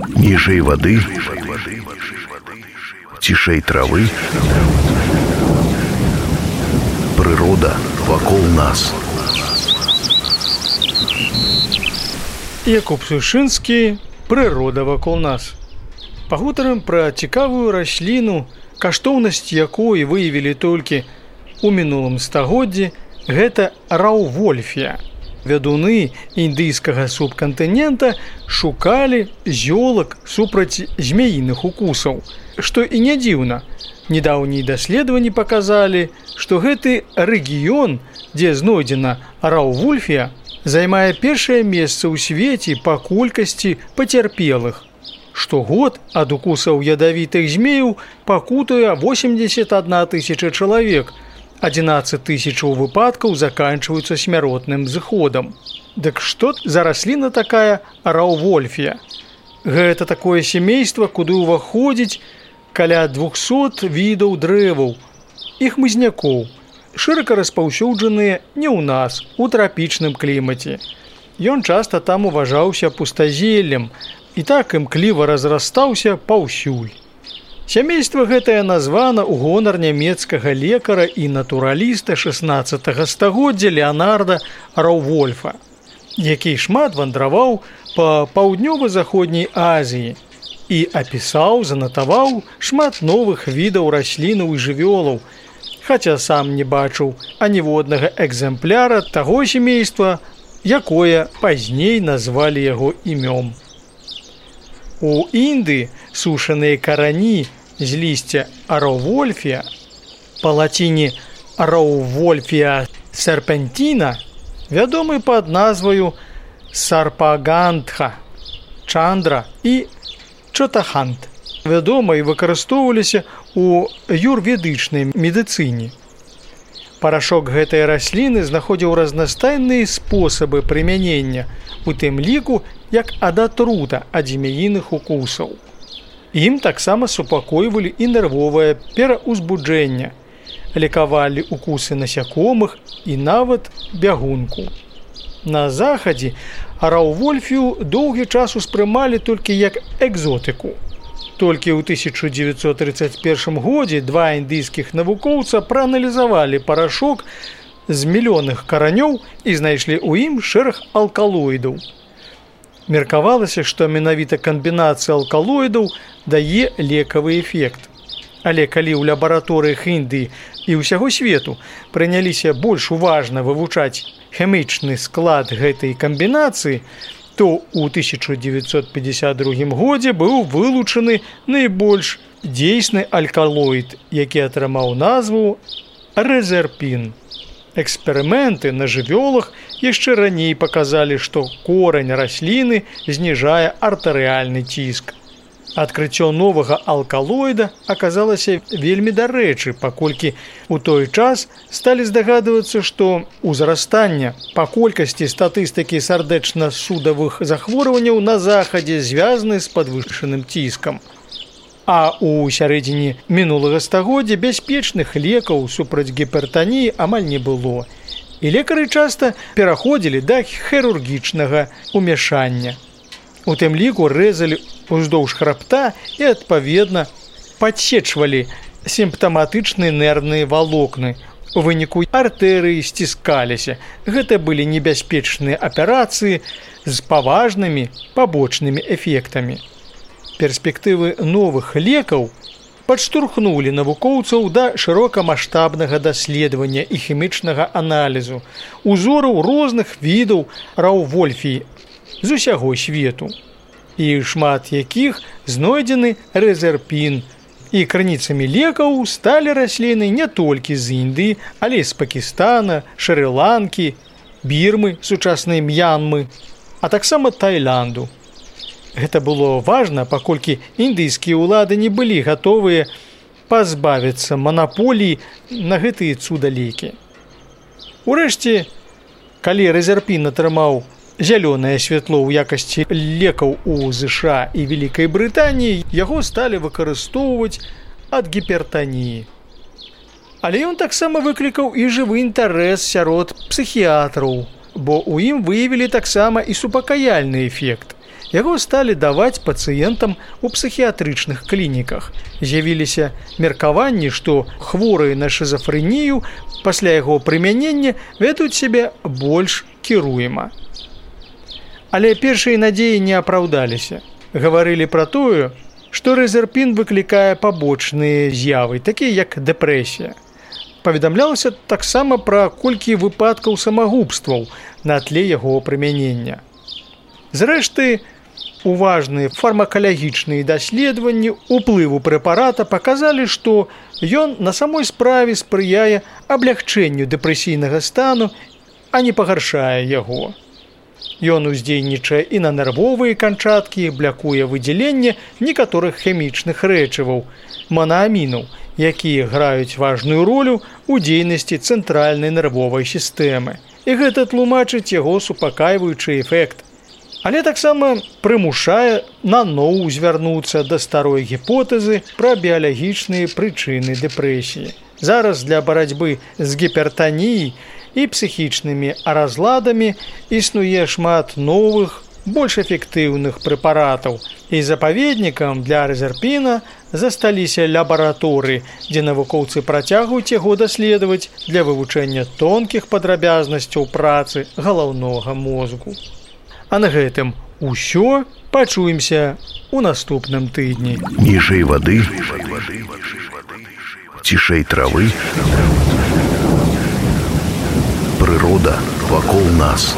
Ніжэй вады, цішэй травы, прырода вакол нас. Якуб Сушынскі «Прырода вакол нас». Пагутарым пра цікавую расліну, каштоўнасць якой выявілі толькі ў мінулым стагоддзі, гэта раўвольфія. Вядуны індыйскага субкантынента шукалі зёлак супраць змяіных укусаў, што і не дзіўна. Недаўнія даследаванні паказалі, што гэты рэгіён, дзе знойдзена раўвольфія, займае першае месца ў свеце па колькасці пацярпелых. Штогод ад укусаў ядавітых змеяў пакутуе 81 тысяча чалавек, 11 тысячаў выпадкаў заканчваюцца смяротным зыходам. Дык што за расліна такая раўвольфія? Гэта такое сямейства, куды ўваходзіць каля 200 відаў дрэваў і хмызнякоў, шырока распаўсюджаныя не ў нас, у трапічным клімаце. Ён часта там уважаўся пустазеллем і так імкліва разрастаўся паўсюль. Сямейства гэтае названа ў гонар нямецкага лекара і натураліста 16 стагоддзя Леанарда Раўвольфа, які шмат вандраваў па паўднёва-заходняй Азіі і апісаў, занатаваў шмат новых відаў раслінаў і жывёлаў, хаця сам не бачыў аніводнага экземпляра таго сямейства, якое пазней назвалі яго імём. У Індыі сушаныя карані з лісця раўвольфія, па лаціне раўвольфія серпентіна, вядомы пад назваю сарпагандха, чандра і чотахант. Вядома і выкарыстоўваліся ў юрведычнай медыцыне. Парашок гэтай расліны знаходзіў разнастайныя спосабы прымянення, у тым ліку як ад атрута ад змяіных укусаў. Ім таксама супакойвалі і нервовае пераўзбуджэнне, лекавалі укусы насякомых і нават бягунку. На захадзе раўвольфію доўгі час успрымалі толькі як экзотыку. Толькі ў 1931 годзе два індыйскіх навукоўца прааналізавалі парашок з мільённых каранёў і знайшлі ў ім шэраг алкалоідаў. Меркавалася, што менавіта камбінацыя алкалоідаў дае лекавы эфект. Але калі ў лабараторыях Індыі і ўсяго свету прыняліся больш уважна вывучаць хімічны склад гэтай камбінацыі, то ў 1952 годзе быў вылучаны найбольш дзейсны алкалоід, які атрымаў назву рэзерпін. Эксперыменты на жывёлах яшчэ раней паказалі, што корань расліны зніжае артэрыяльны ціск. Адкрыццё новага алкалоіда аказалася вельмі дарэчы, паколькі ў той час сталі здагадвацца, што ўзрастання па колькасці статыстыкі сардэчна-судавых захворванняў на захадзе звязаны з падвышаным ціскам. А ў сярэдзіне мінулага стагоддзя бяспечных лекаў супраць гіпертаніі амаль не было. І лекары часта пераходзілі да хірургічнага ўмяшання. У тым ліку рэзалі уздоўж храбта і, адпаведна, падсечвалі сімптаматычныя нервныя валокны. У выніку артэрыі сціскаліся. Гэта былі небяспечныя аперацыі з паважнымі пабочнымі эфектамі. Перспектывы новых лекаў падштурхнулі навукоўцаў да шырокамаштабнага даследавання і хімічнага аналізу узораў розных відаў раўвольфіі з усяго свету, і шмат якіх знойдзены рэзерпін, і крыніцамі лекаў сталі расліны не толькі з Індыі, але і з Пакістана, Шры-Ланкі, Бірмы, сучаснай М'янмы, а таксама Таіланду. Гэта было важна, паколькі індыйскія ўлады не былі гатовыя пазбавіцца манаполіі на гэтыя цудалекі. Урэшце, калі рэзерпін атрымаў зялёнае святло ў якасці лекаў у ЗША і Вялікай Брытаніі, яго сталі выкарыстоўваць ад гіпертаніі. Але ён таксама выклікаў і жывы інтарэс сярод псіхіятраў, бо ў ім выявілі таксама і супакаяльны эфект. яго сталі даваць пацыентам у псіхіятрычных клініках. З'явіліся меркаванні, што хворыя на шызафрэнію пасля яго прымянення вядуць сябе больш кіруема. Але першыя надзеі не апраўдаліся. Гаварылі пра тое, што рэзерпін выклікае пабочныя з'явы, такія як дэпрэсія. Паведамлялася таксама пра колькі выпадкаў самагубстваў на тле яго прымянення. Зрэшты, уважныя фармакалагічныя даследаванні ўплыву прэпарата паказалі, што ён на самой справе спрыяе аблягчэнню дэпрэсійнага стану, а не пагаршае яго. Ён уздзейнічае і на нервовыя канчаткі, блякуе выдзяленне некаторых хімічных рэчываў, моноамінаў, якія граюць важную ролю ў дзейнасці цэнтральнай нервовай сістэмы. І гэта тлумачыць яго супакайваючы эфект. Але таксама прымушае наноў звярнуцца да старой гіпотэзы пра біялагічныя прычыны дэпрэсіі. Зараз для барацьбы з гіпертаніяй і псіхічнымі разладамі існуе шмат новых, больш эфектыўных прэпаратаў. І запаведнікам для рэзерпіна засталіся лабараторыі, дзе навукоўцы працягваюць яго даследаваць для вывучэння тонкіх падрабязнасцяў працы галаўнога мозгу. А на гэтым усё. Пачуемся ў наступным тыдні. Ніжэй вады, цішэй травы, прырода вакол нас.